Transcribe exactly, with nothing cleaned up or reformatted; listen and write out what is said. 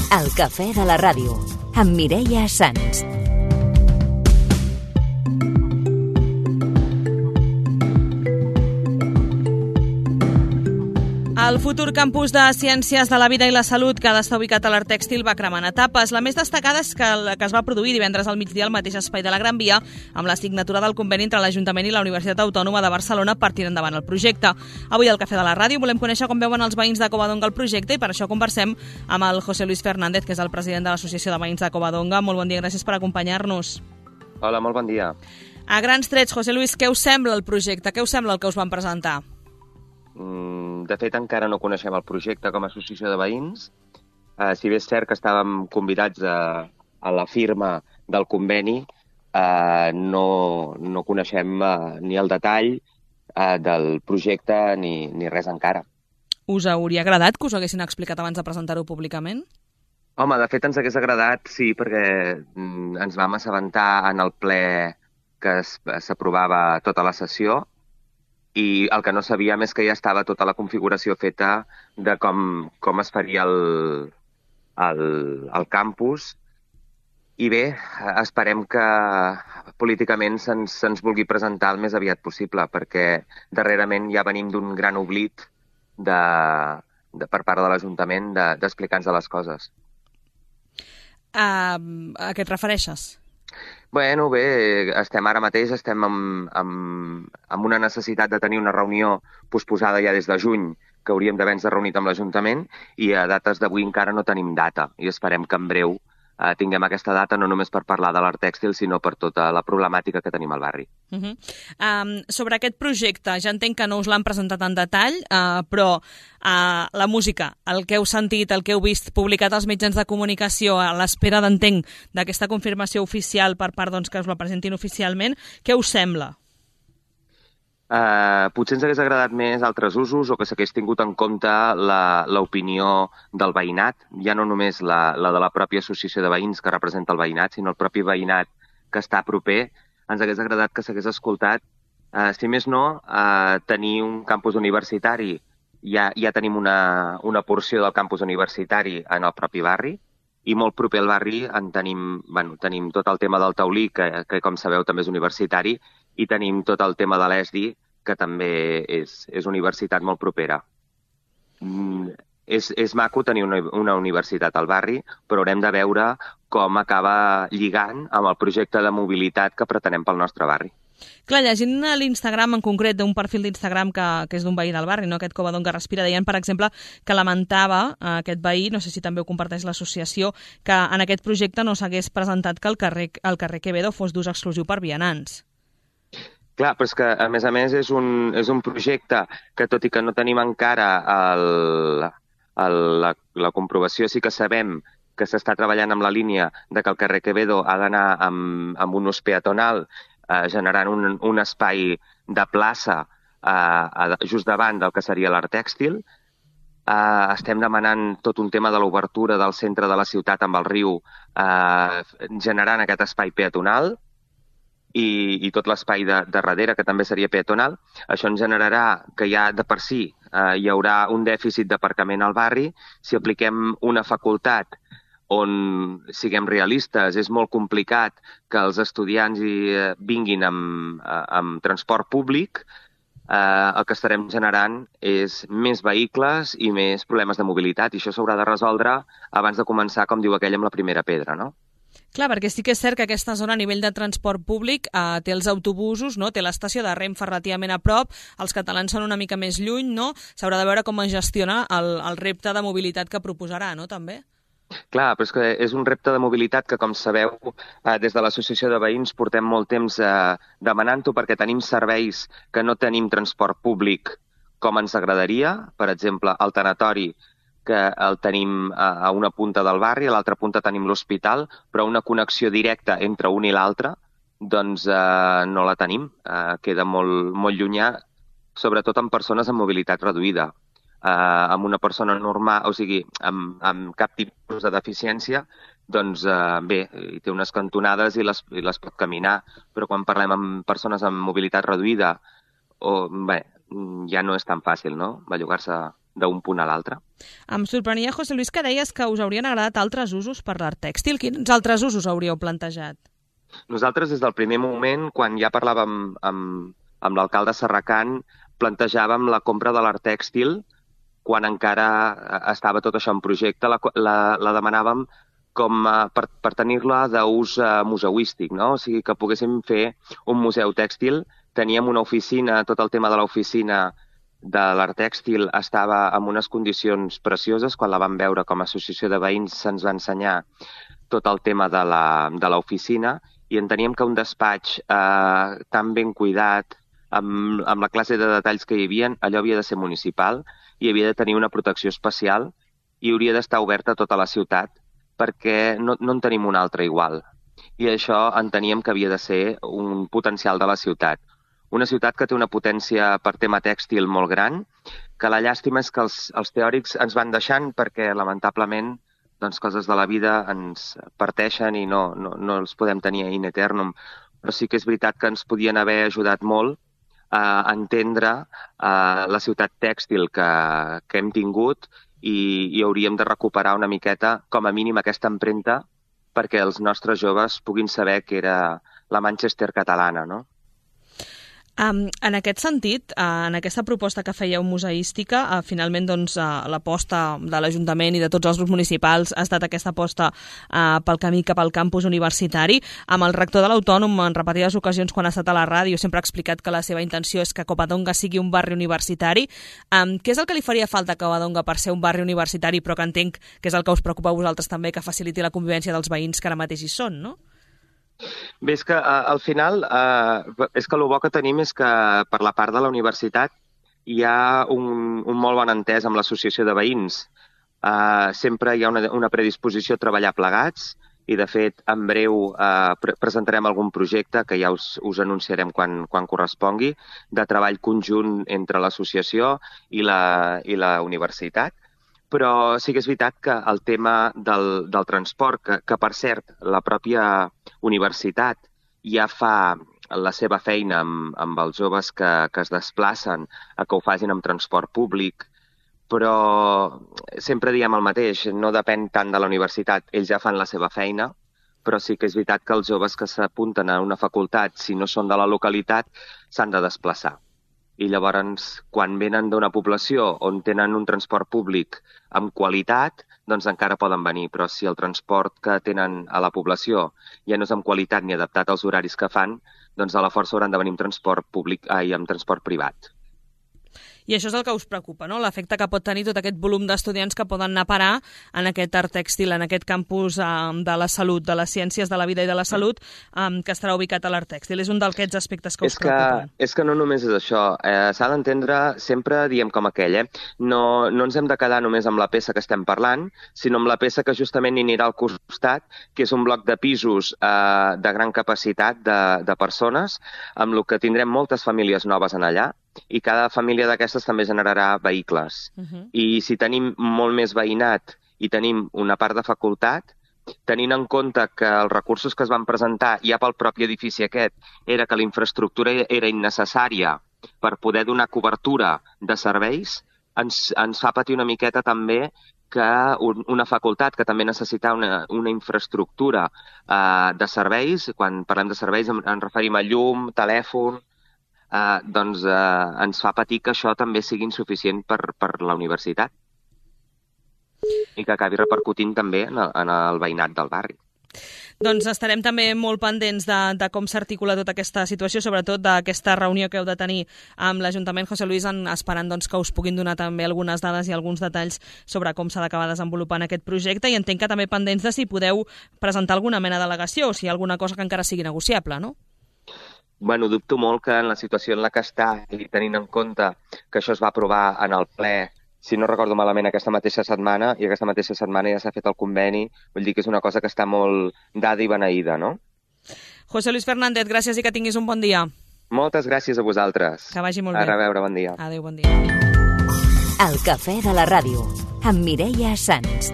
El cafè de la ràdio, amb Mireia Sans. El futur campus de Ciències de la Vida i la Salut, que ha d'estar ubicat a l'Art Tèxtil, va cremant etapes. La més destacada és que, que es va produir divendres al migdia al mateix espai de la Gran Via, amb la signatura del conveni entre l'Ajuntament i la Universitat Autònoma de Barcelona per tirar endavant el projecte. Avui al Cafè de la Ràdio volem conèixer com veuen els veïns de Covadonga el projecte i per això conversem amb el José Luis Fernández, que és el president de l'Associació de Veïns de Covadonga. Molt bon dia, gràcies per acompanyar-nos. Hola, molt bon dia. A grans trets, José Luis, què us sembla el projecte? Què us sembla el que us van presentar? De fet, encara no coneixem el projecte com a associació de veïns. Eh, si bé és cert que estàvem convidats a, a la firma del conveni, eh, no, no coneixem eh, ni el detall eh, del projecte ni, ni res encara. Us hauria agradat que us ho haguessin explicat abans de presentar-ho públicament? Home, de fet ens hagués agradat, sí, perquè mm, ens vam assabentar en el ple que s'aprovava tota la sessió, i el que no sabíem és que ja estava tota la configuració feta de com, com es faria el, el, el campus. I bé, esperem que políticament se'ns se'ns vulgui presentar el més aviat possible, perquè darrerament ja venim d'un gran oblit de, de, per part de l'Ajuntament d'explicar-nos de, les coses. Uh, a què et refereixes? Bueno, bé, estem ara mateix estem amb, amb, amb una necessitat de tenir una reunió posposada ja des de juny, que hauríem d'haver-nos reunit amb l'Ajuntament, i a dates d'avui encara no tenim data, i esperem que en breu eh, tinguem aquesta data no només per parlar de l'Art Tèxtil, sinó per tota la problemàtica que tenim al barri. Uh -huh. um, sobre aquest projecte, ja entenc que no us l'han presentat en detall, uh, però uh, la música, el que heu sentit, el que heu vist publicat als mitjans de comunicació, a l'espera d'entenc d'aquesta confirmació oficial per part doncs, que us la presentin oficialment, què us sembla? Uh, potser ens hagués agradat més altres usos o que s'hagués tingut en compte l'opinió del veïnat, ja no només la, la de la pròpia associació de veïns que representa el veïnat, sinó el propi veïnat que està proper. Ens hagués agradat que s'hagués escoltat, uh, si més no, uh, tenir un campus universitari. Ja, ja tenim una, una porció del campus universitari en el propi barri, i molt proper al barri en tenim, bueno, tenim tot el tema del taulí, que, que com sabeu també és universitari, i tenim tot el tema de l'E S D I, que també és, és universitat molt propera. Mm, és, és maco tenir una, una universitat al barri, però haurem de veure com acaba lligant amb el projecte de mobilitat que pretenem pel nostre barri. Clar, llegint a l'Instagram, en concret, d'un perfil d'Instagram que, que és d'un veí del barri, no? Aquest Covadonga Respira, deien, per exemple, que lamentava eh, aquest veí, no sé si també ho comparteix l'associació, que en aquest projecte no s'hagués presentat que el carrer, el carrer Quevedo fos d'ús exclusiu per vianants. Clar, però és que, a més a més, és un, és un projecte que, tot i que no tenim encara el, el, la, la comprovació, sí que sabem que s'està treballant amb la línia de que el carrer Quevedo ha d'anar amb, amb un ús peatonal, eh, generant un, un espai de plaça eh, just davant del que seria l'Art Tèxtil. Eh, estem demanant tot un tema de l'obertura del centre de la ciutat amb el riu, eh, generant aquest espai peatonal, i, i tot l'espai de, de darrere, que també seria peatonal. Això ens generarà que ja de per si eh, hi haurà un dèficit d'aparcament al barri. Si apliquem una facultat on siguem realistes, és molt complicat que els estudiants hi eh, vinguin amb, amb transport públic, eh, el que estarem generant és més vehicles i més problemes de mobilitat, i això s'haurà de resoldre abans de començar, com diu aquell, amb la primera pedra, no? Clar, perquè sí que és cert que aquesta zona a nivell de transport públic eh, té els autobusos, no? Té l'estació de Renfe relativament a prop, els catalans són una mica més lluny, no? S'haurà de veure com es gestiona el, el repte de mobilitat que proposarà, no? També? Clar, però és que és un repte de mobilitat que, com sabeu, eh, des de l'Associació de Veïns portem molt temps eh, demanant-ho, perquè tenim serveis que no tenim transport públic com ens agradaria. Per exemple, el tanatori, que el tenim a una punta del barri, a l'altra punta tenim l'hospital, però una connexió directa entre un i l'altre doncs eh, no la tenim. Eh, queda molt, molt llunyà, sobretot amb persones amb mobilitat reduïda. Eh, amb una persona normal, o sigui, amb, amb cap tipus de deficiència, doncs eh, bé, hi té unes cantonades i les, i les pot caminar, però quan parlem amb persones amb mobilitat reduïda, o, bé, ja no és tan fàcil, no?, bellugar-se d'un punt a l'altre. Em sorprenia, José Luis, que deies que us haurien agradat altres usos per l'art tèxtil. Quins altres usos hauríeu plantejat? Nosaltres, des del primer moment, quan ja parlàvem amb, amb l'alcalde Serracant, plantejàvem la compra de l'art tèxtil quan encara estava tot això en projecte. La, la, la demanàvem com a, per, per tenir-la d'ús uh, museuístic, no? O sigui, que poguéssim fer un museu tèxtil. Teníem una oficina, tot el tema de l'oficina de l'art tèxtil estava en unes condicions precioses. Quan la vam veure com a associació de veïns se'ns va ensenyar tot el tema de l'oficina i enteníem que un despatx eh, tan ben cuidat, amb, amb la classe de detalls que hi havia, allò havia de ser municipal i havia de tenir una protecció especial i hauria d'estar oberta a tota la ciutat perquè no, no en tenim una altra igual. I això enteníem que havia de ser un potencial de la ciutat. Una ciutat que té una potència per tema tèxtil molt gran, que la llàstima és que els, els teòrics ens van deixant perquè, lamentablement, doncs, coses de la vida ens parteixen i no, no, no els podem tenir in eternum. Però sí que és veritat que ens podien haver ajudat molt a entendre uh, la ciutat tèxtil que, que hem tingut i, i hauríem de recuperar una miqueta, com a mínim, aquesta empremta perquè els nostres joves puguin saber que era la Manchester catalana, no? Um, en aquest sentit, uh, en aquesta proposta que fèieu museística, uh, finalment doncs, uh, l'aposta de l'Ajuntament i de tots els grups municipals ha estat aquesta aposta uh, pel camí cap al campus universitari. Amb el rector de l'Autònom, en repetides ocasions, quan ha estat a la ràdio, sempre ha explicat que la seva intenció és que Covadonga sigui un barri universitari. Um, què és el que li faria falta a Covadonga per ser un barri universitari, però que entenc que és el que us preocupa a vosaltres també, que faciliti la convivència dels veïns que ara mateix hi són, no? Bé, és que uh, al final, uh, és que el bo que tenim és que per la part de la universitat hi ha un, un molt bon entès amb l'associació de veïns. Uh, sempre hi ha una, una predisposició a treballar plegats i, de fet, en breu uh, pre presentarem algun projecte que ja us, us anunciarem quan, quan correspongui, de treball conjunt entre l'associació i la, i la universitat. Però sí que és veritat que el tema del, del transport, que, que per cert la pròpia universitat ja fa la seva feina amb, amb els joves que, que es desplacen a que ho facin amb transport públic, però sempre diem el mateix, no depèn tant de la universitat, ells ja fan la seva feina, però sí que és veritat que els joves que s'apunten a una facultat, si no són de la localitat, s'han de desplaçar. I llavors, quan venen d'una població on tenen un transport públic amb qualitat, doncs encara poden venir. Però si el transport que tenen a la població ja no és amb qualitat ni adaptat als horaris que fan, doncs a la força hauran de venir amb transport públic i amb transport privat. I això és el que us preocupa, no? L'efecte que pot tenir tot aquest volum d'estudiants que poden anar a parar en aquest art tèxtil, en aquest campus um, de la salut, de les ciències de la vida i de la salut, um, que estarà ubicat a l'art tèxtil. És un d'aquests aspectes que us és que, preocupen. És que no només és això. Eh, S'ha d'entendre, sempre diem com aquell, eh? No, no ens hem de quedar només amb la peça que estem parlant, sinó amb la peça que justament hi anirà al costat, que és un bloc de pisos eh, de gran capacitat de, de persones, amb el que tindrem moltes famílies noves en allà, i cada família d'aquestes també generarà vehicles. Uh-huh. I si tenim molt més veïnat i tenim una part de facultat, tenint en compte que els recursos que es van presentar ja pel propi edifici aquest era que la infraestructura era innecessària per poder donar cobertura de serveis, ens, ens fa patir una miqueta també que un, una facultat que també necessita una, una infraestructura eh, de serveis, quan parlem de serveis en, en referim a llum, telèfon, Uh, doncs uh, ens fa patir que això també sigui insuficient per, per la universitat i que acabi repercutint també en el, en el veïnat del barri. Doncs estarem també molt pendents de, de com s'articula tota aquesta situació, sobretot d'aquesta reunió que heu de tenir amb l'Ajuntament, José Luis, en, esperant doncs, que us puguin donar també algunes dades i alguns detalls sobre com s'ha d'acabar desenvolupant aquest projecte, i entenc que també pendents de si podeu presentar alguna mena d'al·legació o si hi ha alguna cosa que encara sigui negociable, no? Bueno, dubto molt que en la situació en la que està, i tenint en compte que això es va aprovar en el ple, si no recordo malament, aquesta mateixa setmana, i aquesta mateixa setmana ja s'ha fet el conveni, vull dir que és una cosa que està molt dada i beneïda, no? José Luis Fernández, gràcies i que tinguis un bon dia. Moltes gràcies a vosaltres. Que vagi molt bé. A reveure, bon dia. Adéu, bon dia. El cafè de la ràdio, amb Mireia Sans.